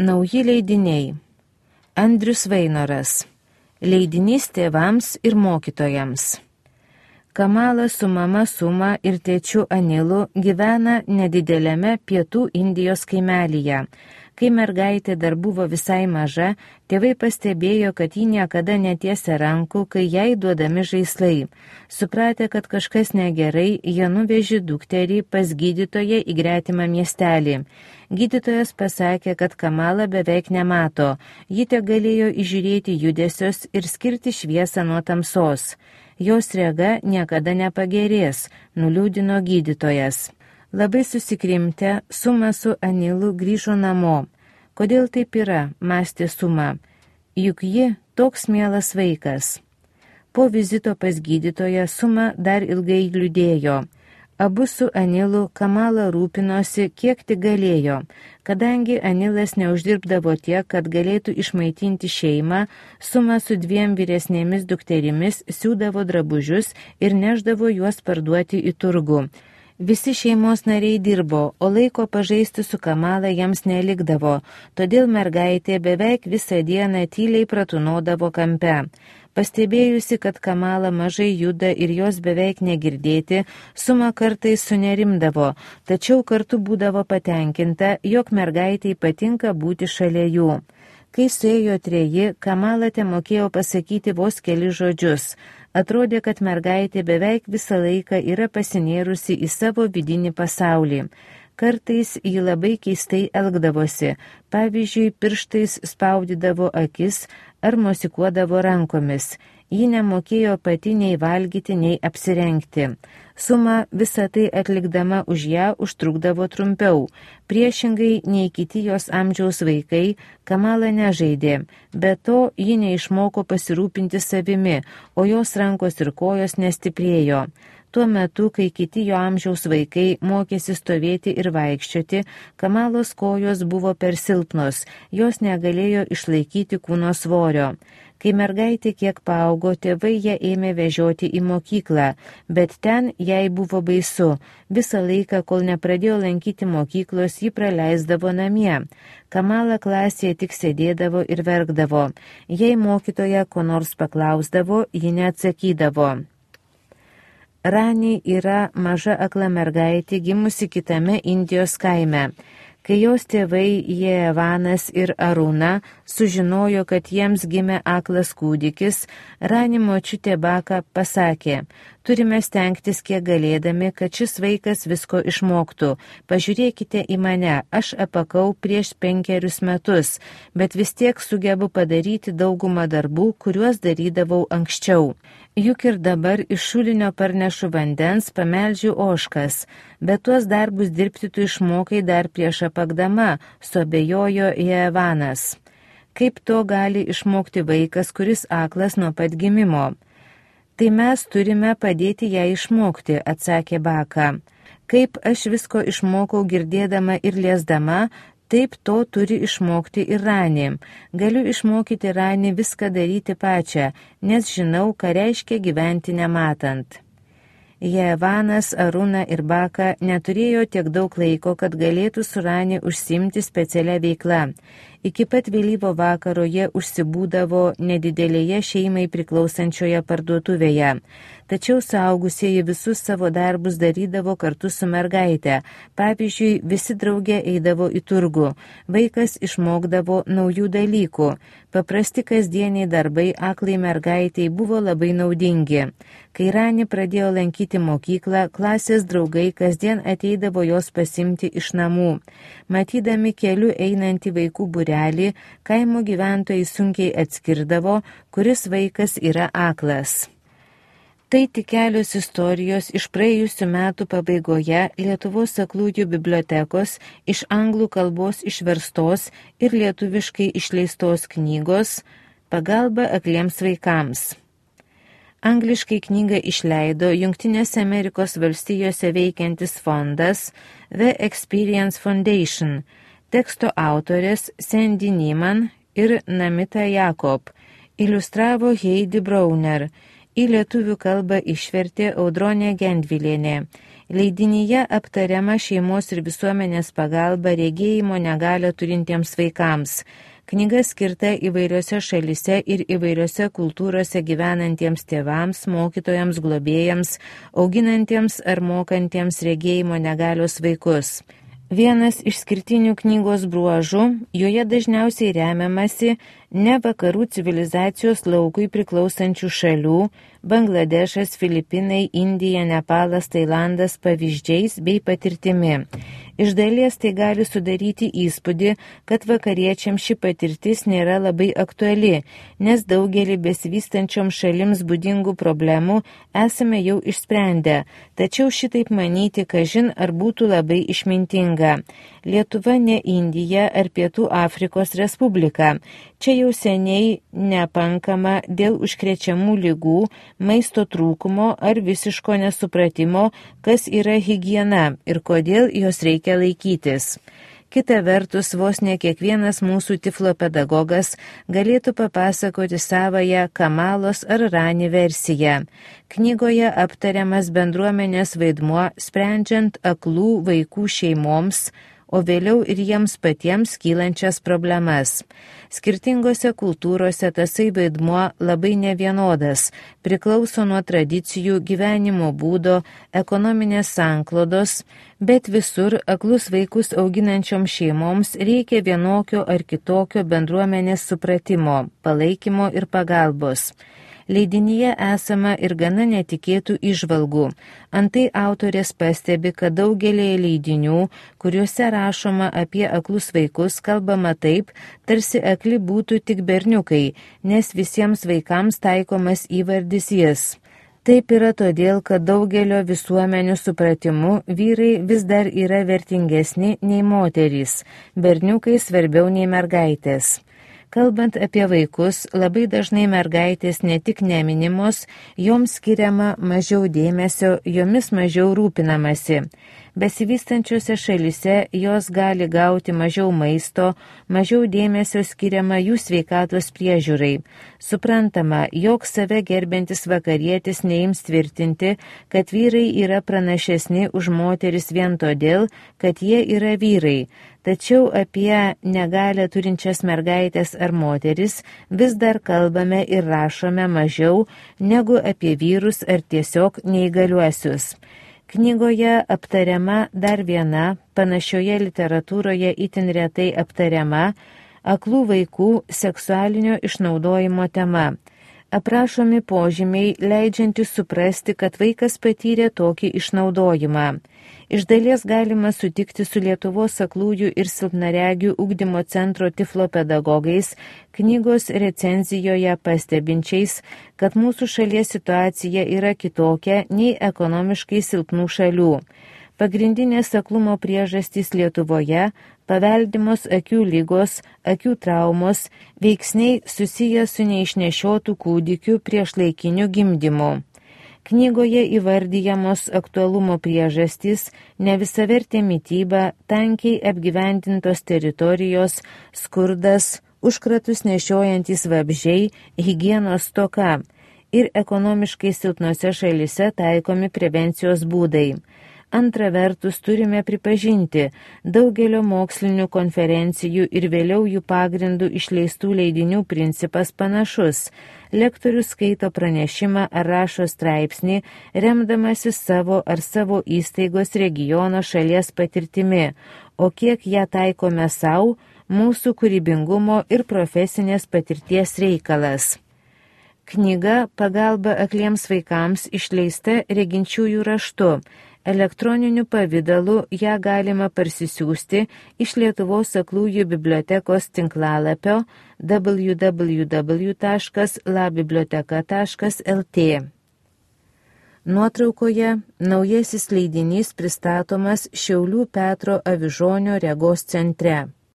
Nauji leidiniai. Andrius Vainoras. Leidinys tėvams ir mokytojams. Kamala su mama Suma ir tėčiu Anilu gyvena nedidelėme pietų Indijos kaimelyje. Kai mergaitė dar buvo visai maža, tėvai pastebėjo, kad ji niekada netiesia rankų, kai jai duodami žaislai. Supratę, kad kažkas negerai, jie nuvežė dukterį pas gydytoją į gretimą miestelį. Gydytojas pasakė, kad Kamala beveik nemato. Ji tegalėjo įžiūrėti judesius ir skirti šviesą nuo tamsos. Jos rega niekada nepagerės, nuliūdino gydytojas. Labai susikrimtę, Suma su Anilu grįžo namo. Kodėl taip yra, mąstė Suma, juk ji toks mielas vaikas. Po vizito pas gydytoją Suma dar ilgai liūdėjo. Abu su Anilu Kamala rūpinosi, kiek tik galėjo. Kadangi Anilas neuždirbdavo tiek, kad galėtų išmaitinti šeimą, Suma su 2 vyresnėmis dukterimis siūdavo drabužius ir neždavo juos parduoti į turgų. Visi šeimos nariai dirbo, o laiko pažaisti su Kamala jiems nelikdavo, todėl mergaitė beveik visą dieną tyliai pratunodavo kampe. Pastebėjusi, kad Kamala mažai juda ir jos beveik negirdėti, Suma kartais sunerimdavo, tačiau kartu būdavo patenkinta, jog mergaitai patinka būti šalia jų. Kai suėjo 3, Kamala temokėjo pasakyti vos keli žodžius. Atrodė, kad mergaitė beveik visą laiką yra pasinėrusi į savo vidinį pasaulį. Kartais ji labai keistai elgdavosi, pavyzdžiui, pirštais spaudydavo akis ar mosikuodavo rankomis. Ji nemokėjo pati nei valgyti, nei apsirengti. Suma visą tai atlikdama už ją užtrukdavo trumpiau. Priešingai nei kiti jos amžiaus vaikai, Kamala nežaidė. Be to, ji neišmoko pasirūpinti savimi, o jos rankos ir kojos nestiprėjo. Tuo metu, kai kiti jo amžiaus vaikai mokėsi stovėti ir vaikščioti, Kamalos kojos buvo per silpnos, jos negalėjo išlaikyti kūno svorio. Kai mergaitė kiek paaugo, tėvai ją ėmė vežioti į mokyklą, bet ten jai buvo baisu. Visą laiką, kol nepradėjo lankyti mokyklos, ji praleisdavo namie. Kamala klasėje tik sėdėdavo ir verkdavo. Jei mokytoja ko nors paklausdavo, ji neatsakydavo. Rani yra maža akla mergaitė gimusi kitame Indijos kaime. Kai jos tėvai Jevanas ir Aruna sužinojo, kad jiems gimė aklas kūdikis, Rani močiutė Baka pasakė, turime stengtis kiek galėdami, kad šis vaikas visko išmoktų. Pažiūrėkite į mane, aš apakau prieš 5 metus, bet vis tiek sugebu padaryti daugumą darbų, kuriuos darydavau anksčiau. Juk ir dabar iš šulinio parnešu vandens, pameldžiu ožkas, bet tuos darbus dirbti tu išmokai dar prieš apakdama, suabejojo Jevanas. Kaip to gali išmokti vaikas, kuris aklas nuo pat gimimo? Tai mes turime padėti ją išmokti, atsakė Baka. Kaip aš visko išmokau girdėdama ir liesdama, taip to turi išmokti ir Rani. Galiu išmokyti Rani viską daryti pačią, nes žinau, ką reiškia gyventi nematant. Jevanas, Aruna ir Baka neturėjo tiek daug laiko, kad galėtų su Rani užsiimti specialią veiklą. Iki pat vėlyvo vakaro jie užsibūdavo nedidelėje šeimai priklausančioje parduotuvėje. Tačiau suaugusieji visus savo darbus darydavo kartu su mergaite. Pavyzdžiui, visi drauge eidavo į turgų. Vaikas išmokdavo naujų dalykų. Paprasti kasdieniai darbai aklai mergaitei buvo labai naudingi. Kai Rani pradėjo lankyti mokyklą, klasės draugai kasdien ateidavo jos pasimti iš namų. Matydami keliu einantį vaikų būrelį, kaimo gyventojai sunkiai atskirdavo, kuris vaikas yra aklas. Tai tik kelios istorijos iš praėjusių metų pabaigoje Lietuvos aklųjų bibliotekos iš anglų kalbos išverstos ir lietuviškai išleistos knygos Pagalba akliems vaikams. Angliškai knygą išleido Jungtinėse Amerikos valstijose veikiantis fondas The Experience Foundation. Teksto autorės Sandy Neiman ir Namita Jakob. Iliustravo Heidi Brauner. Į lietuvių kalbą išvertė Audronė Gendvilienė. Leidinyje aptariama šeimos ir visuomenės pagalba regėjimo negalią turintiems vaikams. Knyga skirta įvairiose šalise ir įvairiose kultūrose gyvenantiems tėvams, mokytojams, globėjams, auginantiems ar mokantiems regėjimo negalios vaikus. Vienas išskirtinių knygos bruožų, joje dažniausiai remiamasi ne vakarų civilizacijos laukui priklausančių šalių – Bangladešas, Filipinai, Indija, Nepalas, Tailandas – pavyzdžiais bei patirtimi. Iš dalies tai gali sudaryti įspūdį, kad vakariečiams ši patirtis nėra labai aktuali, nes daugelį besivystančiom šalims būdingų problemų esame jau išsprendę, tačiau šitaip manyti, kažin ar būtų labai išmintinga. Lietuva ne Indija ar Pietų Afrikos Respublika. Čia jau seniai nepankama dėl užkrečiamų ligų, maisto trūkumo ar visiško nesupratimo, kas yra higiena ir kodėl jos reikia laikytis. Kita vertus, vos ne kiekvienas mūsų tiflo pedagogas galėtų papasakoti savąją Kamalos ar Rani versiją. Knygoje aptariamas bendruomenės vaidmuo sprendžiant aklų vaikų šeimoms, o vėliau ir jiems patiems kylančias problemas. Skirtingose kultūrose tasai vaidmuo labai nevienodas, priklauso nuo tradicijų, gyvenimo būdo, ekonominės sanklodos, bet visur aklus vaikus auginančioms šeimoms reikia vienokio ar kitokio bendruomenės supratimo, palaikymo ir pagalbos. Leidinyje esama ir gana netikėtų įžvalgų. Antai autorės pastebi, kad daugelėje leidinių, kuriuose rašoma apie aklus vaikus, kalbama taip, tarsi akli būtų tik berniukai, nes visiems vaikams taikomas įvardis jis. Taip yra todėl, kad daugelio visuomenių supratimu vyrai vis dar yra vertingesni nei moterys, berniukai svarbiau nei mergaitės. Kalbant apie vaikus, labai dažnai mergaitės ne tik neminimos, joms skiriama mažiau dėmesio, jomis mažiau rūpinamasi. Besivystančiose šalise jos gali gauti mažiau maisto, mažiau dėmesio skiriama jų sveikatos priežiūrai. Suprantama, jog save gerbiantis vakarietis neims tvirtinti, kad vyrai yra pranašesni už moteris vien todėl, kad jie yra vyrai. Tačiau apie negalią turinčias mergaitės ar moteris vis dar kalbame ir rašome mažiau negu apie vyrus ar tiesiog neįgaliuosius. Knygoje aptariama dar viena, panašioje literatūroje itin retai aptariama, aklų vaikų seksualinio išnaudojimo tema. Aprašomi požymiai, leidžiantys suprasti, kad vaikas patyrė tokį išnaudojimą. Iš dalies galima sutikti su Lietuvos aklųjų ir silpnaregių ugdymo centro tiflo pedagogais, knygos recenzijoje pastebinčiais, kad mūsų šalies situacija yra kitokia nei ekonomiškai silpnų šalių. Pagrindinės aklumo priežastys Lietuvoje – paveldimos akių lygos, akių traumos, veiksniai susiję su neišnešiotų kūdikių priešlaikiniu gimdymu. Knygoje įvardyjamos aktualumo priežastys, nevisavertė mityba, tankiai apgyvendintos teritorijos, skurdas, užkratus nešiojantys vabzdžiai, higienos stoka ir ekonomiškai silpnose šalise taikomi prevencijos būdai. Antra vertus, turime pripažinti, daugelio mokslinių konferencijų ir vėliau jų pagrindų išleistų leidinių principas panašus. Lektorius skaito pranešimą ar rašo straipsnį, remdamasis savo ar savo įstaigos regiono šalies patirtimi, o kiek ją taikome savo, mūsų kūrybingumo ir profesinės patirties reikalas. Knyga Pagalba akliems vaikams išleista reginčiųjų raštu. Elektroniniu pavidalu ją galima parsisiųsti iš Lietuvos aklųjų bibliotekos tinklalapio www.labiblioteka.lt. Nuotraukoje naujasis leidinys pristatomas Šiaulių Petro Avižonio regos centre.